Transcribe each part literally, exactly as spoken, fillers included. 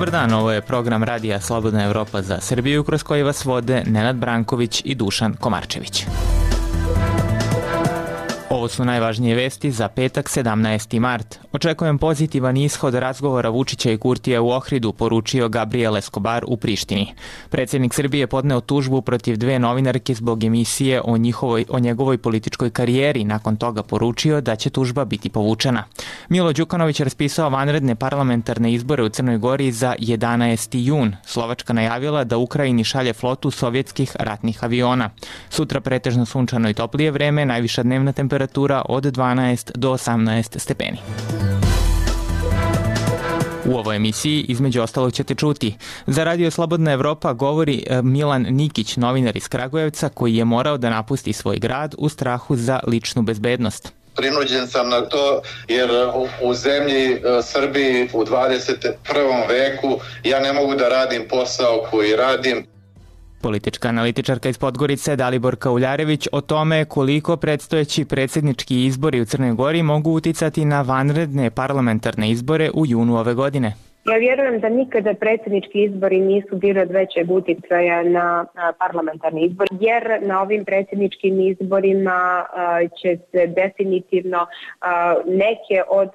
Dobar dan, ovo je program Radija Slobodna Evropa za Srbiju, kroz koji vas vode Nenad Branković i Dušan Komarčević. Ovo su najvažnije vesti za petak sedamnaesti mart. Očekujem pozitivan ishod razgovora Vučića i Kurtija u Ohridu, poručio Gabriel Escobar u Prištini. Predsjednik Srbije podneo tužbu protiv dve novinarke zbog emisije o, njihovoj, o njegovoj političkoj karijeri. Nakon toga poručio da će tužba biti povučena. Milo Đukanović raspisao vanredne parlamentarne izbore u Crnoj Gori za jedanaesti jun. Slovačka najavila da Ukrajini šalje flotu sovjetskih ratnih aviona. Sutra pretežno sunčano i toplije vreme, najviša dnevna temperatura od dvanaest do osamnaest stepeni. U ovoj emisiji, između ostalog, ćete čuti. Za Radio Slobodna Evropa govori Milan Nikić, novinar iz Kragujevca, koji je morao da napusti svoj grad u strahu za ličnu bezbednost. Prinuđen sam na to jer u zemlji Srbiji u dvadeset prvom veku ja ne mogu da radim posao koji radim. Politička analitičarka iz Podgorice Daliborka Uljarević o tome koliko predstojeći predsjednički izbori u Crnoj Gori mogu uticati na vanredne parlamentarne izbore u junu ove godine. Ja vjerujem da nikada predsjednički izbori nisu bili od većeg uticaja na parlamentarni izbor, jer na ovim predsjedničkim izborima će se definitivno neke od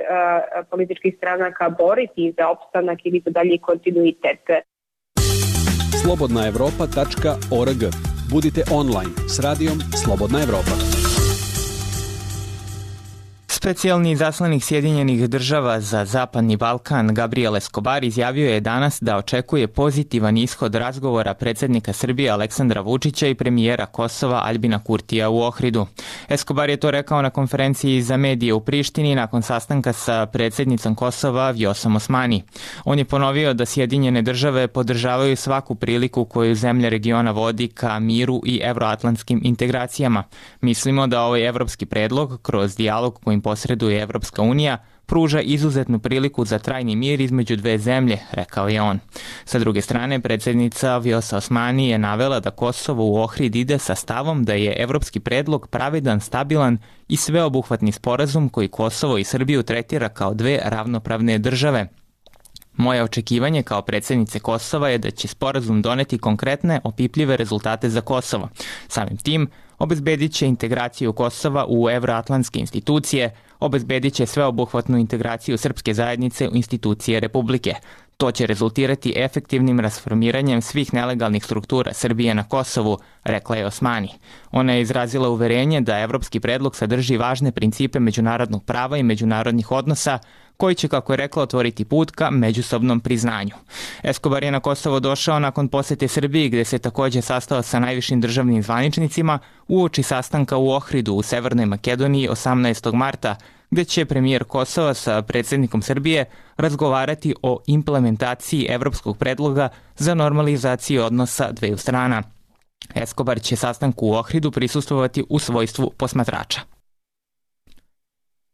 političkih stranaka boriti za opstanak ili za dalji kontinuitet. slobodna evropa tačka org. Budite online s radijom Slobodna Evropa. Specijalni izaslanik Sjedinjenih država za Zapadni Balkan Gabriel Escobar izjavio je danas da očekuje pozitivan ishod razgovora predsjednika Srbije Aleksandra Vučića i premijera Kosova Aljbina Kurtija u Ohridu. Escobar je to rekao na konferenciji za medije u Prištini nakon sastanka sa predsjednicom Kosova Vjosom Osmani. On je ponovio da Sjedinjene države podržavaju svaku priliku koju zemlja regiona vodi ka miru i evroatlantskim integracijama. Mislimo da ovaj evropski predlog kroz dijalog kojim posreduje Evropska unija pruža izuzetnu priliku za trajni mir između dve zemlje, rekao je on. Sa druge strane, predsjednica Vjosa Osmani je navela da Kosovo u Ohrid ide sa stavom da je evropski predlog pravedan, stabilan i sveobuhvatni sporazum koji Kosovo i Srbiju tretira kao dve ravnopravne države. Moje očekivanje kao predsjednice Kosova je da će sporazum doneti konkretne, opipljive rezultate za Kosovo. Samim tim, obezbedit će integraciju Kosova u evroatlantske institucije, obezbedit će sveobuhvatnu integraciju srpske zajednice u institucije Republike. To će rezultirati efektivnim rasformiranjem svih nelegalnih struktura Srbije na Kosovu, rekla je Osmani. Ona je izrazila uverenje da evropski predlog sadrži važne principe međunarodnog prava i međunarodnih odnosa, koji će, kako je rekla, otvoriti put ka međusobnom priznanju. Escobar je na Kosovo došao nakon posete Srbiji, gde se također sastao sa najvišim državnim zvaničnicima uoči sastanka u Ohridu u Severnoj Makedoniji osamnaestog marta, gde će premijer Kosova sa predsjednikom Srbije razgovarati o implementaciji evropskog predloga za normalizaciju odnosa dveju strana. Escobar će sastanku u Ohridu prisustvovati u svojstvu posmatrača.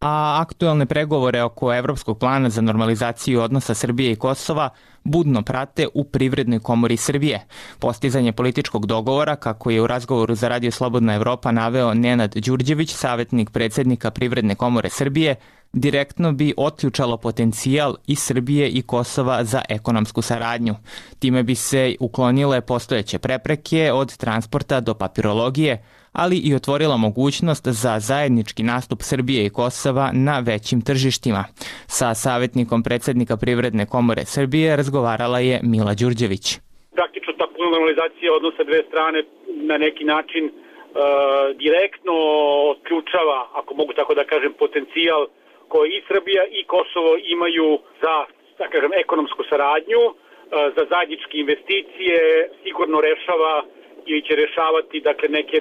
A aktuelne pregovore oko Evropskog plana za normalizaciju odnosa Srbije i Kosova budno prate u Privrednoj komori Srbije. Postizanje političkog dogovora, kako je u razgovoru za Radio Slobodna Evropa naveo Nenad Đurđević, savjetnik predsjednika Privredne komore Srbije, direktno bi otključalo potencijal i Srbije i Kosova za ekonomsku saradnju. Time bi se uklonile postojeće prepreke od transporta do papirologije, ali i otvorila mogućnost za zajednički nastup Srbije i Kosova na većim tržištima. Sa savjetnikom predsjednika Privredne komore Srbije razgovarala je Mila Đurđević. Praktično ta puna normalizacija odnosa dve strane na neki način e, direktno otključava, ako mogu tako da kažem, potencijal koji i Srbija i Kosovo imaju za, da kažem, ekonomsku saradnju, e, za zajedničke investicije, sigurno rešava ili će rešavati, dakle, neke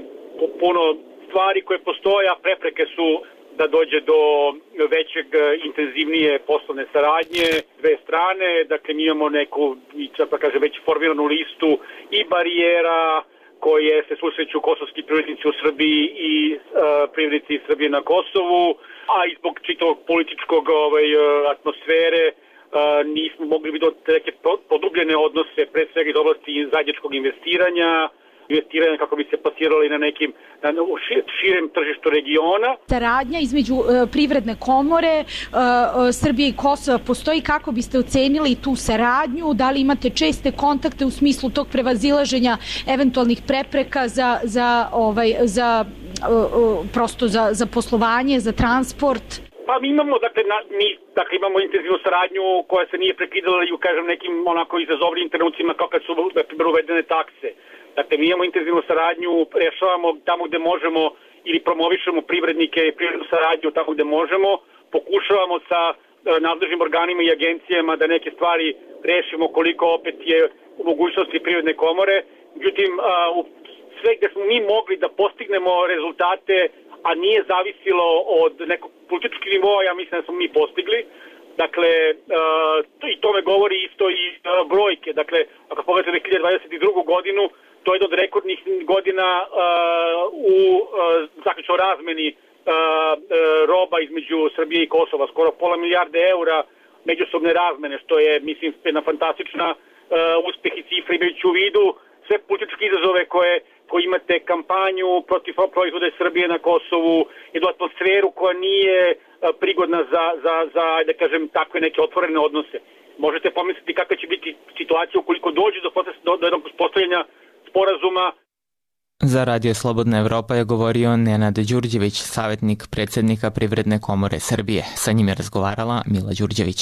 puno stvari koje postoje, a prepreke su da dođe do većeg, intenzivnije poslovne saradnje dve strane. Dakle, mi imamo neku, da kažem, već formiranu listu i barijera koje se susreću kosovski privrednici u Srbiji i e, privrednici iz Srbije na Kosovu, a i zbog čitavog političkog ovaj, atmosfere e, nismo mogli vidjeti neke podubljene odnose, pre svega iz oblasti zajedničkog investiranja investiranja kako bi se plasirali na nekim na širem tržištu regiona. Saradnja između uh, privredne komore uh, uh, Srbije i Kosova postoji. Kako biste ocenili tu saradnju? Da li imate česte kontakte u smislu tog prevazilaženja eventualnih prepreka za, za, ovaj, za uh, uh, prosto za, za poslovanje, za transport? Pa mi imamo, dakle, na, mi, dakle, imamo intenzivnu saradnju koja se nije prekidala i u, kažem, nekim onako izazovnim trenucima kao kad su, na primjer, uvedene takse. Dakle, mi imamo intenzivnu saradnju, rešavamo tamo gde možemo ili promovišemo privrednike i privrednu saradnju tamo gde možemo, pokušavamo sa e, nadležnim organima i agencijama da neke stvari rešimo koliko opet je u mogućnosti privredne komore. Međutim, a, u sve gde smo mi mogli da postignemo rezultate, a nije zavisilo od nekog političkog nivoa, ja mislim da smo mi postigli. Dakle, uh, i tome govori isto i uh, brojke. Dakle, ako pogledate dve hiljade dvadeset drugu godinu, to je jedna od rekordnih godina uh, u uh, zaključnoj razmeni uh, uh, roba između Srbije i Kosova. Skoro pola milijarde eura međusobne razmene, što je, mislim, jedna fantastična uh, uspeh i cifra imajući u vidu sve političke izazove koje koji imate kampanju protiv proizvoda Srbije na Kosovu, jednu atmosferu koja nije prigodna za, za, za, da kažem, takve neke otvorene odnose. Možete pomisliti kakva će biti situacija ukoliko dođe do, do, do jednog postavljanja sporazuma. Za Radio Slobodna Evropa je govorio Nenad Đurđević, savjetnik predsjednika Privredne komore Srbije. Sa njim je razgovarala Mila Đurđević.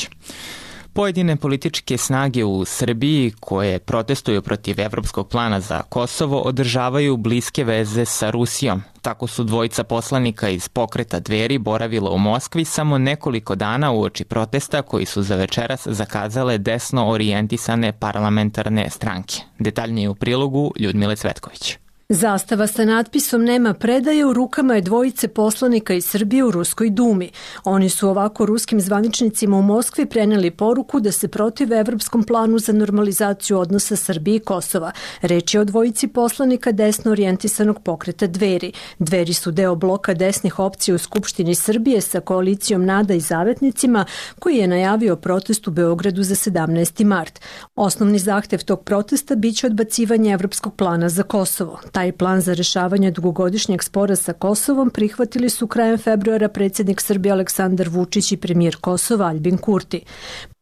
Pojedine političke snage u Srbiji koje protestuju protiv evropskog plana za Kosovo održavaju bliske veze sa Rusijom. Tako su dvojica poslanika iz pokreta Dveri boravila u Moskvi samo nekoliko dana uoči protesta koji su za večeras zakazale desno orijentisane parlamentarne stranke. Detaljnije u prilogu Ljudmile Cvetković. Zastava sa natpisom "Nema predaje" u rukama je dvojice poslanika iz Srbije u Ruskoj dumi. Oni su ovako ruskim zvaničnicima u Moskvi preneli poruku da se protive evropskom planu za normalizaciju odnosa Srbije i Kosova. Reč je o dvojici poslanika desno orijentisanog pokreta Dveri. Dveri su deo bloka desnih opcija u Skupštini Srbije sa koalicijom Nada i Zavetnicima, koji je najavio protest u Beogradu za sedamnaesti mart. Osnovni zahtev tog protesta biće odbacivanje evropskog plana za Kosovo. Taj plan za rešavanje dugogodišnjeg spora sa Kosovom prihvatili su krajem februara predsjednik Srbije Aleksandar Vučić i premijer Kosova Aljbin Kurti.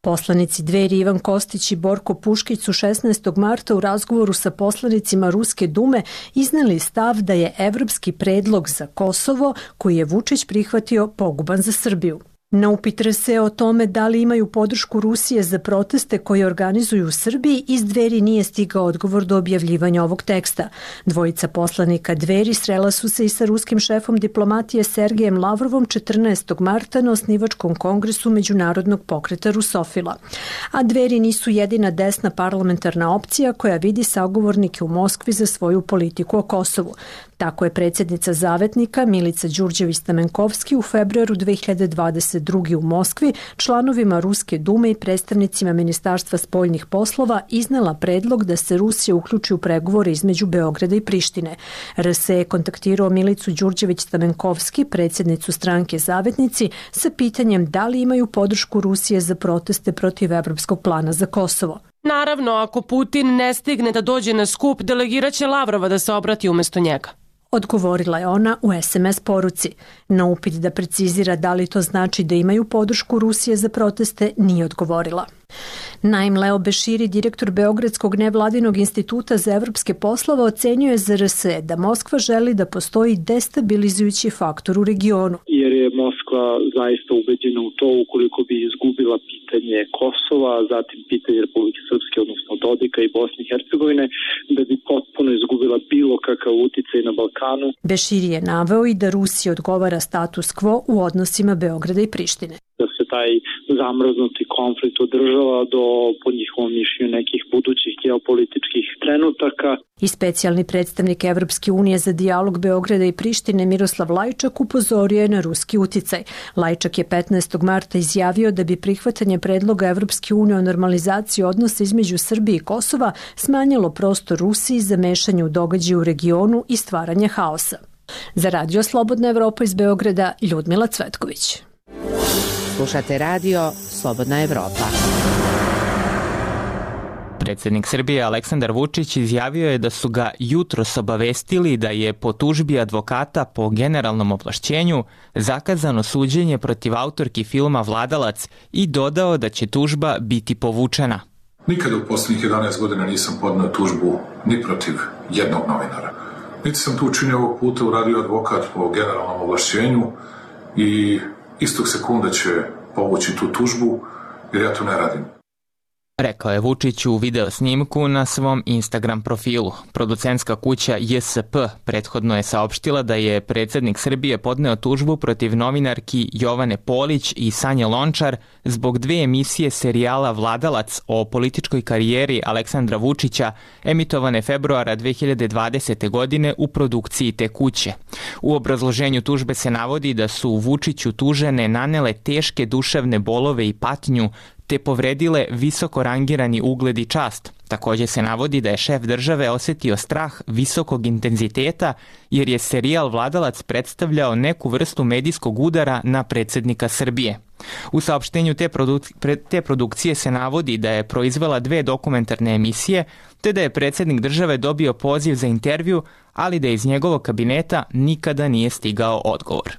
Poslanici Dveri Ivan Kostić i Borko Puškić su šesnaestog marta u razgovoru sa poslanicima Ruske dume izneli stav da je evropski predlog za Kosovo, koji je Vučić prihvatio, poguban za Srbiju. Na upit R S E o tome da li imaju podršku Rusije za proteste koje organizuju u Srbiji, iz Dveri nije stigao odgovor do objavljivanja ovog teksta. Dvojica poslanika Dveri srela su se i sa ruskim šefom diplomatije Sergejem Lavrovom četrnaestog marta na osnivačkom kongresu Međunarodnog pokreta Rusofila. A Dveri nisu jedina desna parlamentarna opcija koja vidi sagovornike u Moskvi za svoju politiku o Kosovu. Tako je predsjednica Zavetnika Milica Đurđević-Stamenkovski u februaru dve hiljade dvadeset druge. u Moskvi članovima Ruske dume i predstavnicima Ministarstva spoljnih poslova iznela predlog da se Rusija uključi u pregovore između Beograda i Prištine. R S E je kontaktirao Milicu Đurđević-Stamenkovski, predsjednicu stranke Zavetnici, sa pitanjem da li imaju podršku Rusije za proteste protiv evropskog plana za Kosovo. Naravno, ako Putin ne stigne da dođe na skup, delegiraće Lavrova da se obrati umjesto njega. Odgovorila je ona u es em es poruci. Na upit da precizira da li to znači da imaju podršku Rusije za proteste, nije odgovorila. Naim Leo Beširi, direktor Beogradskog nevladinog instituta za evropske poslove, ocenjuje za R S E da Moskva želi da postoji destabilizujući faktor u regionu. Jer je Moskva zaista ubeđena u to ukoliko bi izgubila pitanje Kosova, zatim pitanje Republike Srpske, odnosno Dodika i Bosne i Hercegovine, da bi potpuno izgubila bilo kakav uticaj na Balkanu. Beširi je naveo i da Rusiji odgovara status quo u odnosima Beograda i Prištine. Da se taj zamrznuti konflikt održava do, po njihovom mišljenju, nekih budućih geopolitičkih trenutaka. I specijalni predstavnik Evropske unije za dijalog Beograda i Prištine Miroslav Lajčak upozorio je na ruski uticaj. Lajčak je petnaestog marta izjavio da bi prihvatanje predloga Evropske unije o normalizaciji odnosa između Srbije i Kosova smanjilo prostor Rusiji za mešanje u događaje u regionu i stvaranje haosa. Za Radio Slobodna Evropa iz Beograda, Ljudmila Cvetković. Slušate radio Slobodna Evropa. Predsjednik Srbije Aleksandar Vučić izjavio je da su ga jutros obavestili da je po tužbi advokata po generalnom ovlašćenju zakazano suđenje protiv autorki filma Vladalac i dodao da će tužba biti povučena. Nikada u posljednjih jedanaest godina nisam podneo tužbu ni protiv jednog novinara. Niti sam to učinio ovog puta, uradio advokat po generalnom ovlašćenju i istog sekunda će povući tu tužbu, jer ja to ne radim. Rekao je Vučić u video snimku na svom Instagram profilu. Producentska kuća J S P prethodno je saopštila da je predsjednik Srbije podneo tužbu protiv novinarki Jovane Polić i Sanje Lončar zbog dve emisije serijala Vladalac o političkoj karijeri Aleksandra Vučića emitovane februara dve hiljade dvadesete. godine u produkciji te kuće. U obrazloženju tužbe se navodi da su Vučiću tužene nanele teške duševne bolove i patnju te povredile visoko rangirani ugled i čast. Također se navodi da je šef države osjetio strah visokog intenziteta jer je serijal Vladalac predstavljao neku vrstu medijskog udara na predsjednika Srbije. U saopštenju te, produk- te produkcije se navodi da je proizvela dve dokumentarne emisije te da je predsjednik države dobio poziv za intervju, ali da iz njegovog kabineta nikada nije stigao odgovor.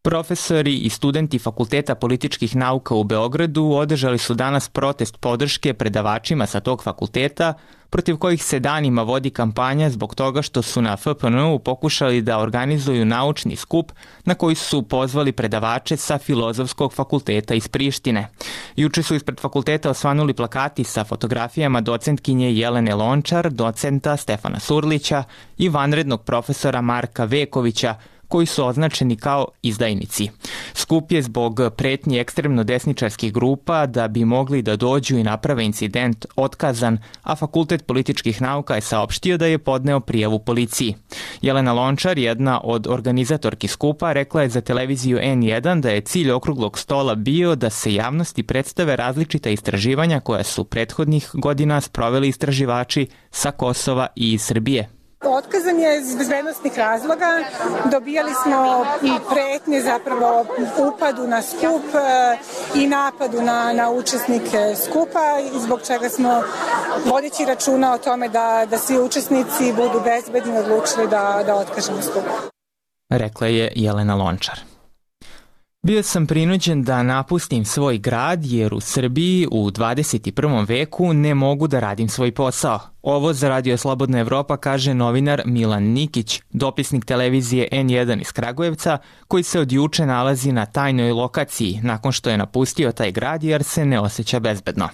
Profesori i studenti Fakulteta političkih nauka u Beogradu održali su danas protest podrške predavačima sa tog fakulteta, protiv kojih se danima vodi kampanja zbog toga što su na F P N U pokušali da organizuju naučni skup na koji su pozvali predavače sa Filozofskog fakulteta iz Prištine. Juče su ispred fakulteta osvanuli plakati sa fotografijama docentkinje Jelene Lončar, docenta Stefana Surlića i vanrednog profesora Marka Vekovića, koji su označeni kao izdajnici. Skup je zbog pretnji ekstremno desničarskih grupa da bi mogli da dođu i naprave incident otkazan, a Fakultet političkih nauka je saopštio da je podneo prijavu policiji. Jelena Lončar, jedna od organizatorki skupa, rekla je za televiziju N jedan da je cilj okruglog stola bio da se javnosti predstave različita istraživanja koja su prethodnih godina sproveli istraživači sa Kosova i iz Srbije. Otkazan je iz bezbednostnih razloga, dobijali smo i pretnje zapravo upadu na skup i napadu na, na učesnike skupa, i zbog čega smo, vodeći računa o tome da, da svi učesnici budu bezbedni, odlučili da, da otkažemo skup. Rekla je Jelena Lončar. Bio sam prinuđen da napustim svoj grad jer u Srbiji u dvadeset prvom veku ne mogu da radim svoj posao. Ovo za Radio Slobodna Evropa kaže novinar Milan Nikić, dopisnik televizije N jedan iz Kragujevca, koji se od juče nalazi na tajnoj lokaciji nakon što je napustio taj grad jer se ne osjeća bezbedno.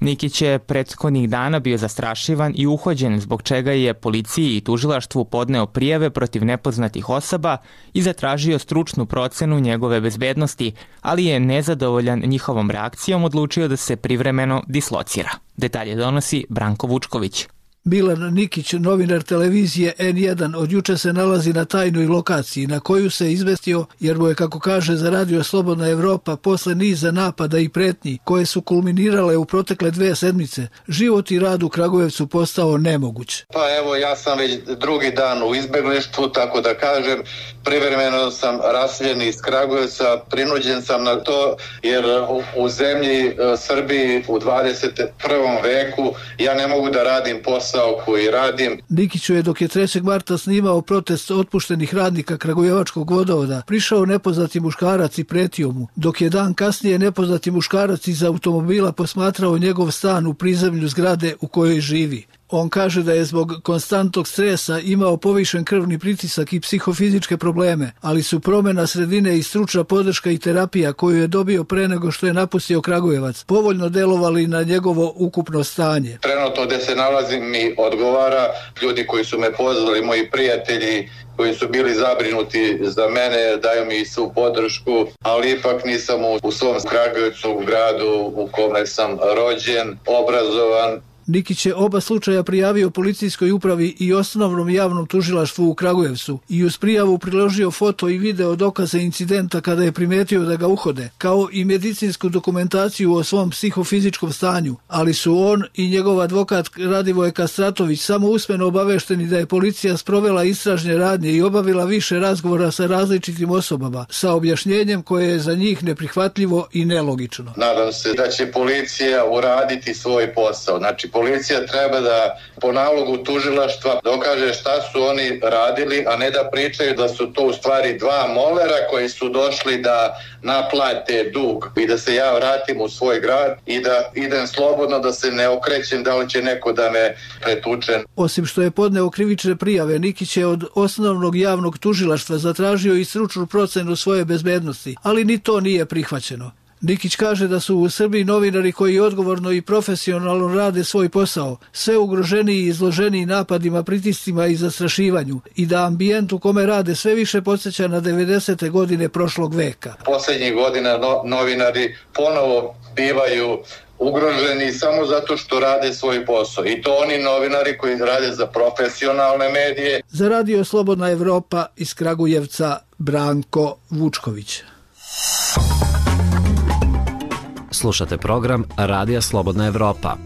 Nikić je prethodnih dana bio zastrašivan i uhođen, zbog čega je policiji i tužilaštvu podneo prijave protiv nepoznatih osoba i zatražio stručnu procenu njegove bezbednosti, ali je nezadovoljan njihovom reakcijom odlučio da se privremeno dislocira. Detalje donosi Branko Vučković. Milan Nikić, novinar televizije N jedan, od juče se nalazi na tajnoj lokaciji na koju se izvestio jer mu je, kako kaže za Radio Slobodna Evropa, posle niza napada i pretnji koje su kulminirale u protekle dve sedmice, život i rad u Kragujevcu postao nemoguć. Pa evo, ja sam već drugi dan u izbeglištvu, tako da kažem, privremeno sam raseljen iz Kragujevca, prinuđen sam na to jer u, u zemlji Srbiji u dvadeset prvom veku ja ne mogu da radim posao koji radim. Nikiću je, dok je trećeg marta snimao protest otpuštenih radnika Kragujevačkog vodovoda, prišao nepoznati muškarac i pretio mu, dok je dan kasnije nepoznati muškarac iz automobila posmatrao njegov stan u prizemlju zgrade u kojoj živi. On kaže da je zbog konstantnog stresa imao povišen krvni pritisak i psihofizičke probleme, ali su promjena sredine i stručna podrška i terapija koju je dobio pre nego što je napustio Kragujevac povoljno delovali na njegovo ukupno stanje. Trenutno gde se nalazim mi odgovara, ljudi koji su me pozvali, moji prijatelji koji su bili zabrinuti za mene, daju mi svu podršku, ali ipak nisam u, u svom Kragujevcu, u gradu u kome sam rođen, obrazovan. Nikić je oba slučaja prijavio policijskoj upravi i osnovnom javnom tužilaštvu u Kragujevcu i uz prijavu priložio foto i video dokaze incidenta kada je primetio da ga uhode, kao i medicinsku dokumentaciju o svom psihofizičkom stanju, ali su on i njegov advokat Radivoje Kastratović samo usmeno obavešteni da je policija sprovela istražne radnje i obavila više razgovora sa različitim osobama, sa objašnjenjem koje je za njih neprihvatljivo i nelogično. Nadam se da će policija uraditi svoj posao. Znači, policija treba da po nalogu tužilaštva dokaže šta su oni radili, a ne da pričaju da su to u stvari dva molera koji su došli da naplate dug i da se ja vratim u svoj grad i da idem slobodno, da se ne okrećem da li će neko da me pretuče. Osim što je podneo krivične prijave, Nikić je od osnovnog javnog tužilaštva zatražio i stručnu procenu svoje bezbednosti, ali ni to nije prihvaćeno. Nikić kaže da su u Srbiji novinari koji odgovorno i profesionalno rade svoj posao, sve ugroženiji i izloženiji napadima, pritiscima i zastrašivanju i da ambijent u kome rade sve više podsjeća na devedesete godine prošlog veka. Poslednjih godina no, novinari ponovo bivaju ugroženi samo zato što rade svoj posao. I to oni novinari koji rade za profesionalne medije. Za Radio Slobodna Evropa iz Kragujevca, Branko Vučković. Slušate program Radija Slobodna Evropa.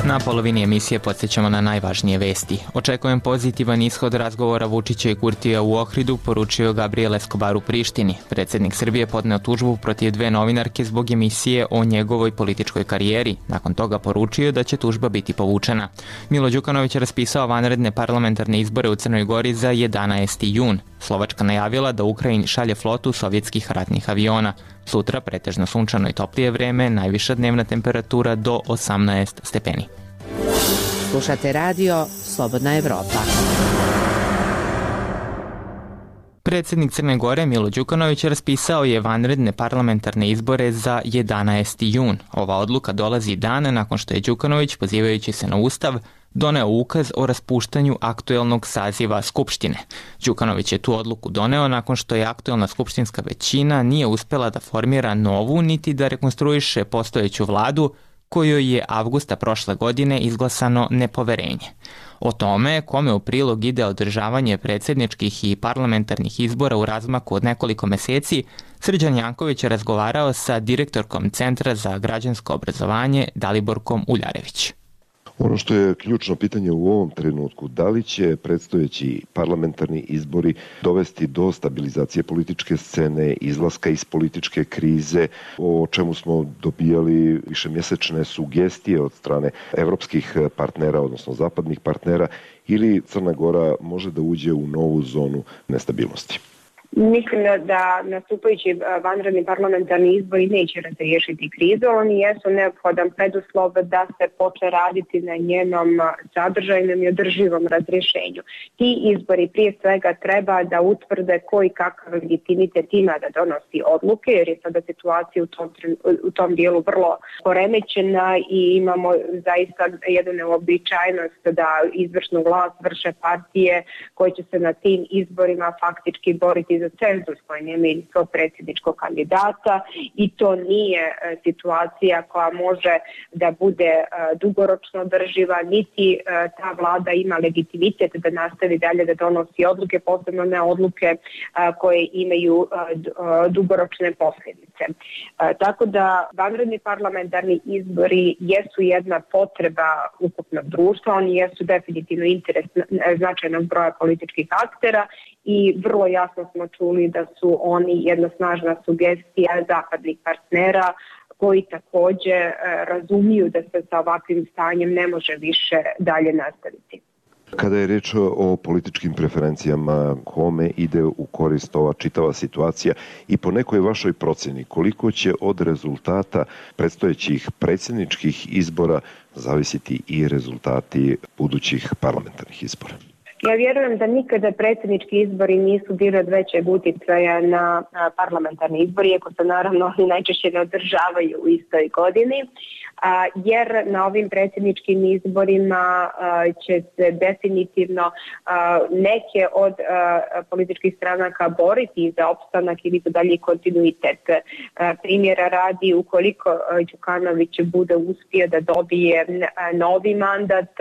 Na polovini emisije podsjećamo na najvažnije vesti. Očekujem pozitivan ishod razgovora Vučića i Kurtija u Ohridu, poručio Gabriel Escobar u Prištini. Predsjednik Srbije podneo tužbu protiv dve novinarke zbog emisije o njegovoj političkoj karijeri. Nakon toga poručio da će tužba biti povučena. Milo Đukanović je raspisao vanredne parlamentarne izbore u Crnoj Gori za jedanaesti jun. Slovačka najavila da Ukrajini šalje flotu sovjetskih ratnih aviona. Sutra pretežno sunčano i toplije vreme, najviša dnevna temperatura do osamnaest stepeni. Slušate radio Slobodna Evropa. Predsjednik Crne Gore Milo Đukanović raspisao je vanredne parlamentarne izbore za jedanaesti jun. Ova odluka dolazi dan nakon što je Đukanović, pozivajući se na Ustav, doneo ukaz o raspuštanju aktuelnog saziva Skupštine. Đukanović je tu odluku doneo nakon što je aktuelna skupštinska većina nije uspela da formira novu niti da rekonstruiše postojeću vladu kojoj je avgusta prošle godine izglasano nepoverenje. O tome kome u prilog ide održavanje predsjedničkih i parlamentarnih izbora u razmaku od nekoliko meseci, Srđan Janković je razgovarao sa direktorkom Centra za građansko obrazovanje Daliborkom Uljarević. Ono što je ključno pitanje u ovom trenutku, da li će predstojeći parlamentarni izbori dovesti do stabilizacije političke scene, izlaska iz političke krize, o čemu smo dobijali višemjesečne sugestije od strane evropskih partnera, odnosno zapadnih partnera, ili Crna Gora može da uđe u novu zonu nestabilnosti? Mislim da nastupajući vanredni parlamentarni izbori neće razriješiti krizu, oni jesu neophodan preduslov da se počne raditi na njenom sadržajnom i održivom razrješenju. Ti izbori prije svega treba da utvrde koji kakav legitimitet ima da donosi odluke, jer je sada situacija u tom, u tom dijelu vrlo poremećena i imamo zaista jednu neobičajnost da izvršnu vlast vrše partije koje će se na tim izborima faktički boriti za cenzus koji nemaju svog predsjedničkog kandidata i to nije e, situacija koja može da bude e, dugoročno održiva, niti e, ta vlada ima legitimitet da nastavi dalje da donosi odluke, posebno ne odluke e, koje imaju e, dugoročne posljedice. E, tako da vanredni parlamentarni izbori jesu jedna potreba ukupnog društva, oni jesu definitivno interes značajnog broja političkih aktera i vrlo jasno smo čuli da su oni jedna snažna sugestija zapadnih partnera koji također razumiju da se sa ovakvim stanjem ne može više dalje nastaviti. Kada je reč o političkim preferencijama, kome ide u korist ova čitava situacija i po nekoj vašoj procjeni, koliko će od rezultata predstojećih predsjedničkih izbora zavisiti i rezultati budućih parlamentarnih izbora? Ja vjerujem da nikada predsjednički izbori nisu bili od većeg uticaja na parlamentarni izbori, iako se naravno najčešće ne održavaju u istoj godini, jer na ovim predsjedničkim izborima će se definitivno neke od političkih stranaka boriti za opstanak ili za dalji kontinuitet. Primjera radi, ukoliko Đukanović bude uspio da dobije novi mandat,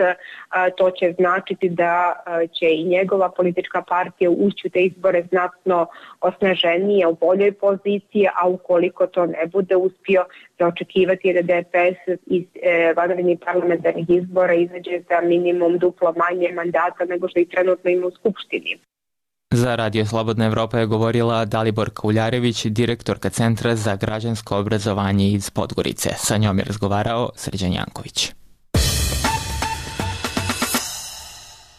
to će značiti da će i njegova politička partija ući u te izbore znatno osnaženije, u boljoj poziciji, a ukoliko to ne bude uspio, za očekivati je da D P S iz e, vanrednih parlamentarnih izbora izađe za minimum duplo manje mandata nego što i trenutno ima u Skupštini. Za Radio Slobodna Evropa je govorila Daliborka Uljarević, direktorka Centra za građansko obrazovanje iz Podgorice. Sa njom je razgovarao Srđan Janković.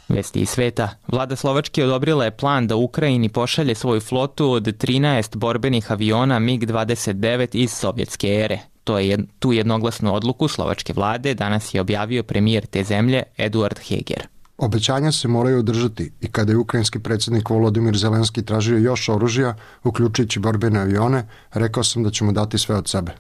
Vesti iz sveta. Vlada Slovačke odobrila je plan da Ukrajini pošalje svoju flotu od trinaest borbenih aviona mig dvadeset devet iz sovjetske ere. To je, tu jednoglasnu odluku slovačke vlade danas je objavio premijer te zemlje Eduard Heger. Obećanja se moraju održati i kada je ukrajinski predsjednik Volodimir Zelenski tražio još oružja, uključujući borbene avione, rekao sam da ćemo dati sve od sebe.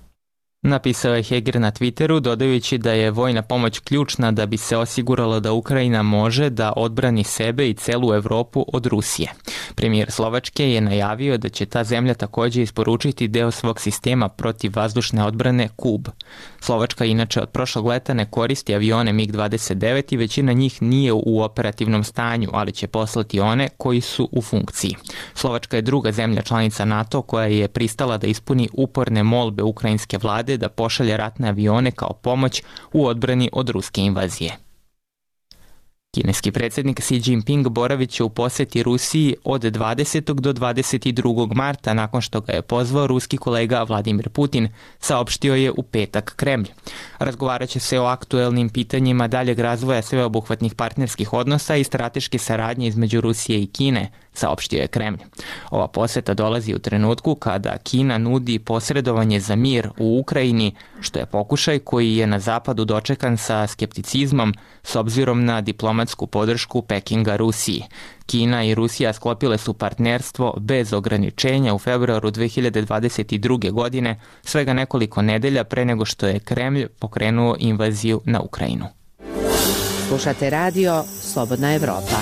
Napisao je Heger na Twitteru, dodajući da je vojna pomoć ključna da bi se osiguralo da Ukrajina može da odbrani sebe i celu Evropu od Rusije. Premijer Slovačke je najavio da će ta zemlja također isporučiti deo svog sistema protiv vazdušne odbrane Kub. Slovačka inače od prošlog leta ne koristi avione mig dvadeset devet i većina njih nije u operativnom stanju, ali će poslati one koji su u funkciji. Slovačka je druga zemlja članica NATO koja je pristala da ispuni uporne molbe ukrajinske vlade da pošalje ratne avione kao pomoć u odbrani od ruske invazije. Kineski predsjednik Xi Jinping boravit će u posjeti Rusiji od dvadesetog do dvadeset drugog marta nakon što ga je pozvao ruski kolega Vladimir Putin, saopštio je u petak Kremlj. Razgovarat će se o aktuelnim pitanjima daljeg razvoja sveobuhvatnih partnerskih odnosa i strateške saradnje između Rusije i Kine, saopštio je Kremlj. Ova posjeta dolazi u trenutku kada Kina nudi posredovanje za mir u Ukrajini, što je pokušaj koji je na zapadu dočekan sa skepticizmom s obzirom na diplomatsku podršku Pekinga Rusiji. Kina i Rusija sklopile su partnerstvo bez ograničenja u februaru dve hiljade dvadeset druge. godine, svega nekoliko nedelja pre nego što je Kremlj pokrenuo invaziju na Ukrajinu. Slušate radio Slobodna Evropa.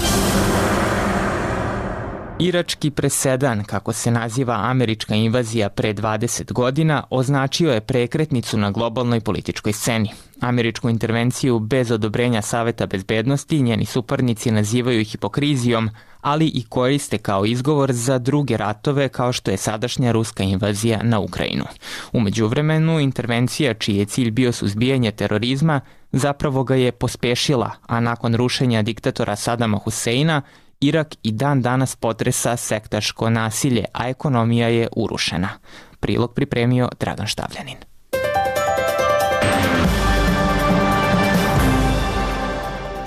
Irački presedan, kako se naziva američka invazija pre dvadeset godina, označio je prekretnicu na globalnoj političkoj sceni. Američku intervenciju bez odobrenja Saveta bezbednosti njeni suparnici nazivaju hipokrizijom, ali i koriste kao izgovor za druge ratove kao što je sadašnja ruska invazija na Ukrajinu. U međuvremenu, intervencija čiji je cilj bio suzbijanje terorizma zapravo ga je pospešila, a nakon rušenja diktatora Sadama Huseina, Irak i dan danas potresa sektaško nasilje, a ekonomija je urušena. Prilog pripremio Dragan Štavljanin.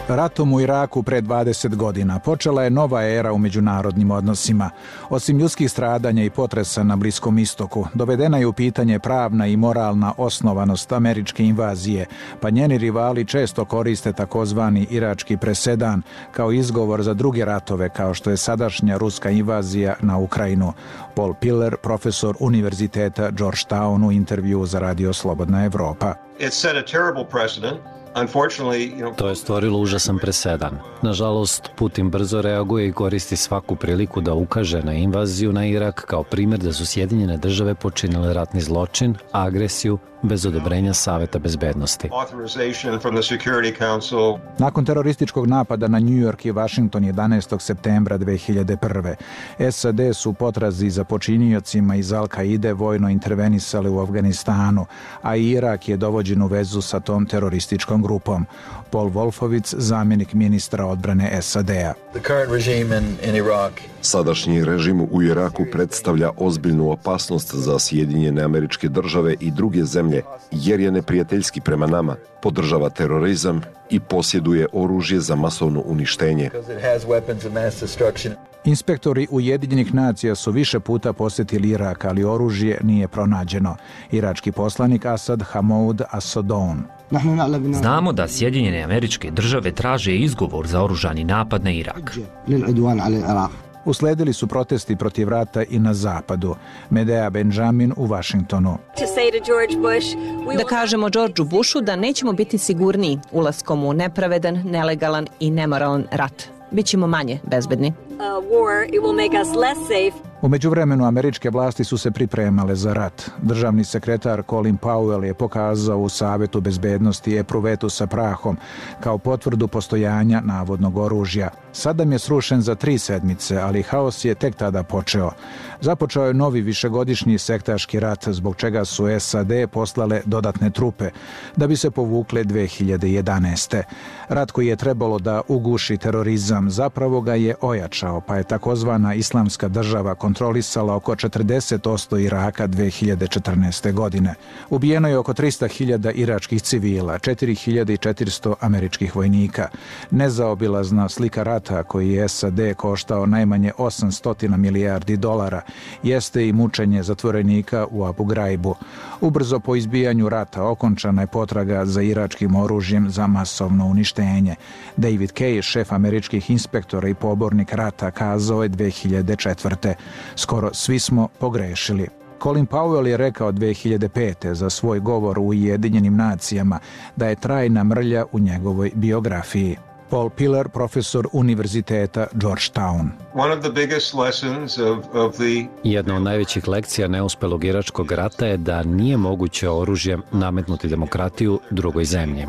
Ratom u Iraku pre dvadeset godina počela je nova era u međunarodnim odnosima. Osim ljudskih stradanja i potresa na Bliskom istoku, dovedena je u pitanje pravna i moralna osnovanost američke invazije, pa njeni rivali često koriste takozvani irački presedan kao izgovor za druge ratove kao što je sadašnja ruska invazija na Ukrajinu. Paul Piller, profesor Univerziteta Georgetown, u intervju za Radio Slobodna Evropa. It set a terrible precedent. To je stvorilo užasan presedan. Nažalost, Putin brzo reaguje i koristi svaku priliku da ukaže na invaziju na Irak kao primjer da su Sjedinjene države počinile ratni zločin, agresiju bez odobrenja Saveta bezbednosti. Nakon terorističkog napada na New York i Washington jedanaestog septembra dve hiljade prve. S A D su u potrazi za počiniocima iz Al-Kaide vojno intervenisali u Afganistanu, a Irak je dovođen u vezu sa tom terorističkom grupom. Paul Wolfowitz, zamjenik ministra odbrane S A D-a. Sadašnji režim u Iraku predstavlja ozbiljnu opasnost za Sjedinjene Američke Države i druge zemlje, jer je neprijateljski prema nama, podržava terorizam i posjeduje oružje za masovno uništenje. Inspektori Ujedinjenih nacija su više puta posjetili Irak, ali oružje nije pronađeno. Irački poslanik Asad Hamoud Asadon. Znamo da Sjedinjene Američke Države traže izgovor za oružani napad na Irak. Usledili su protesti protiv rata i na zapadu. Medea Benjamin u Vašingtonu. Da kažemo Georgeu Bushu da nećemo biti sigurniji ulaskom u nepravedan, nelegalan i nemoralan rat. Bićemo manje bezbedni. U međuvremenu američke vlasti su se pripremale za rat. Državni sekretar Colin Powell je pokazao u Savetu bezbednosti epruvetu sa prahom kao potvrdu postojanja navodnog oružja. Saddam je srušen za tri sedmice, ali haos je tek tada počeo. Započeo je novi višegodišnji sektaški rat, zbog čega su S A D poslale dodatne trupe, da bi se povukle dve hiljade jedanaeste. Rat koji je trebalo da uguši terorizam, zapravo ga je ojačao, pa je takozvana Islamska država kontrolisala oko četrdeset posto Iraka dve hiljade četrnaeste. godine. Ubijeno je oko trista hiljada iračkih civila, četiri hiljade četiristo američkih vojnika. Nezaobilazna slika rata koji je S A D koštao najmanje osamsto milijardi dolara jeste i mučenje zatvorenika u Abu Graibu. Ubrzo po izbijanju rata okončana je potraga za iračkim oružjem za masovno uništenje. David Kay, šef američkih inspektora i pobornik rata, kazao je dve hiljade četvrte. Skoro svi smo pogrešili. Colin Powell je rekao dve hiljade pete za svoj govor u Ujedinjenim nacijama da je trajna mrlja u njegovoj biografiji. Paul Pillar, profesor univerziteta Georgetown. Jedna od najvećih lekcija neuspelog iračkog rata je da nije moguće oružjem nametnuti demokratiju drugoj zemlji.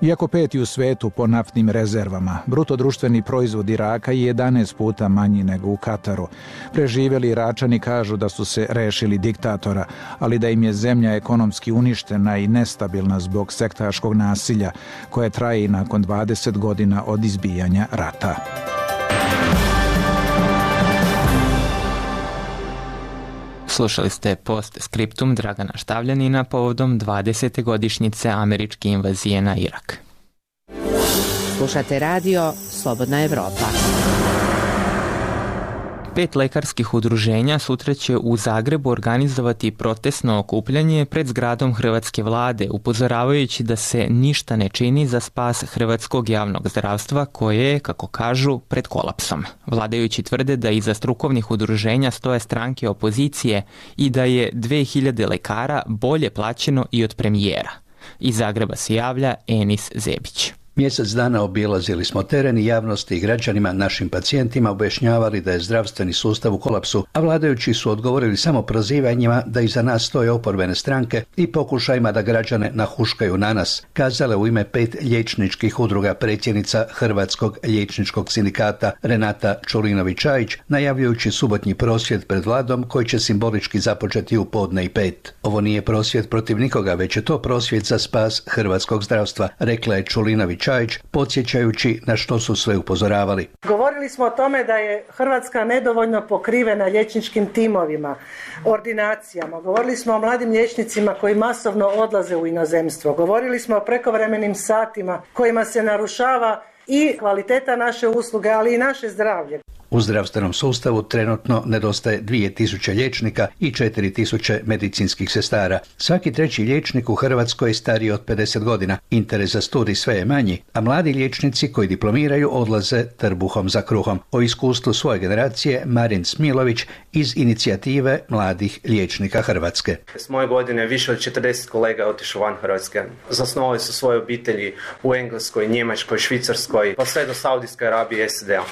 Iako peti u svetu po naftnim rezervama, bruto društveni proizvod Iraka je jedanaest puta manji nego u Kataru. Preživjeli Iračani kažu da su se rešili diktatora, ali da im je zemlja ekonomski uništena i nestabilna zbog sektaškog nasilja, koje traje i nakon dvadeset godina od izbijanja rata. Slušali ste post skriptum Dragana Štavljanina povodom dvadesete godišnjice američke invazije na Irak. Slušate radio Slobodna Evropa. Pet lekarskih udruženja sutra će u Zagrebu organizovati protestno okupljanje pred zgradom hrvatske vlade, upozoravajući da se ništa ne čini za spas hrvatskog javnog zdravstva koje je, kako kažu, pred kolapsom. Vladajući tvrde da iza strukovnih udruženja stoje stranke opozicije i da je dve hiljade lekara bolje plaćeno i od premijera. Iz Zagreba se javlja Enis Zebić. Mjesec dana obilazili smo teren i javnosti i građanima, našim pacijentima, objašnjavali da je zdravstveni sustav u kolapsu, a vladajući su odgovorili samo prozivanjima da iza nas stoje oporbene stranke i pokušajima da građane nahuškaju na nas, kazale u ime pet liječničkih udruga predsjednica Hrvatskog liječničkog sindikata Renata Čulinović-Čajić, najavljujući subotnji prosvjed pred vladom koji će simbolički započeti u podne i pet. Ovo nije prosvjed protiv nikoga, već je to prosvjed za spas hrvatskog zdravstva, rekla je Čulinović Čajić, podsjećajući na što su sve upozoravali. Govorili smo o tome da je Hrvatska nedovoljno pokrivena liječničkim timovima, ordinacijama. Govorili smo o mladim liječnicima koji masovno odlaze u inozemstvo. Govorili smo o prekovremenim satima kojima se narušava i kvaliteta naše usluge, ali i naše zdravlje. U zdravstvenom sustavu trenutno nedostaje dvije tisuće liječnika i četiri tisuće medicinskih sestara. Svaki treći liječnik u Hrvatskoj je stariji od pedeset godina. Interes za studij sve je manji, a mladi liječnici koji diplomiraju odlaze trbuhom za kruhom. O iskustvu svoje generacije Marin Smilović iz inicijative mladih liječnika Hrvatske. S moje godine više od četrdeset kolega je otišlo van Hrvatske. Zasnovali su svoje obitelji u Engleskoj, Njemačkoj, Švicarskoj, pa sve do Saudijske Arabije i S A D-a.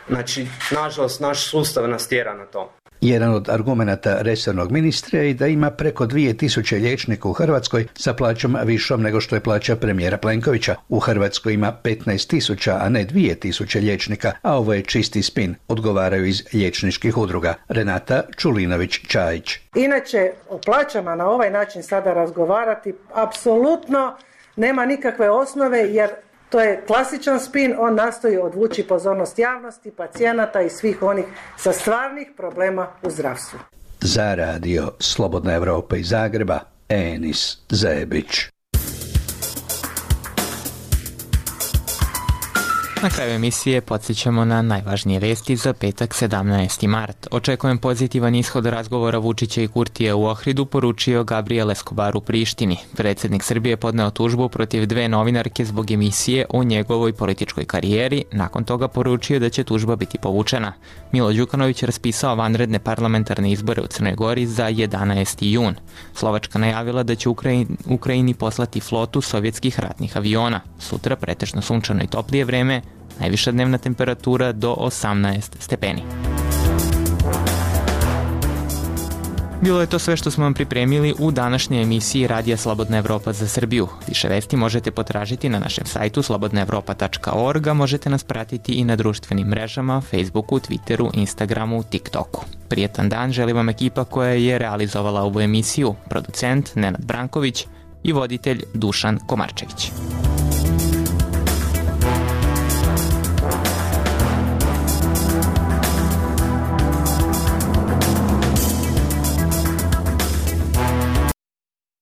Znači, nažalost, naš sustav nas tjera na to. Jedan od argumenata resornog ministra je da ima preko dvije tisuće liječnika u Hrvatskoj sa plaćom višom nego što je plaća premijera Plenkovića. U Hrvatskoj ima petnaest tisuća, a ne dvije tisuće liječnika, a ovo je čisti spin, odgovaraju iz liječničkih udruga. Renata Čulinović-Čajić. Inače, o plaćama na ovaj način sada razgovarati apsolutno nema nikakve osnove, jer to je klasičan spin, on nastoji odvući pozornost javnosti, pacijenata i svih onih sa stvarnih problema u zdravstvu. Za radio Slobodna Evropa iz Zagreba, Enis Zebić. Na kraju emisije podsjećamo na najvažnije vesti za petak sedamnaesti mart. Očekujem pozitivan ishod razgovora Vučića i Kurtija u Ohridu, poručio Gabriel Escobar u Prištini. Predsjednik Srbije podneo tužbu protiv dve novinarke zbog emisije o njegovoj političkoj karijeri, nakon toga poručio da će tužba biti povučena. Milo Đukanović raspisao vanredne parlamentarne izbore u Crnoj Gori za jedanaesti jun. Slovačka najavila da će Ukrajini, Ukrajini poslati flotu sovjetskih ratnih aviona. Sutra pretežno sunčano i toplije vreme, najviša dnevna temperatura do osamnaest stepeni. Bilo je to sve što smo vam pripremili u današnjoj emisiji Radija Slobodna Evropa za Srbiju. Više vesti možete potražiti na našem sajtu slobodna evropa tačka org, a možete nas pratiti i na društvenim mrežama, Facebooku, Twitteru, Instagramu, TikToku. Prijetan dan želi vam ekipa koja je realizovala ovu emisiju, producent Nenad Branković i voditelj Dušan Komarčević.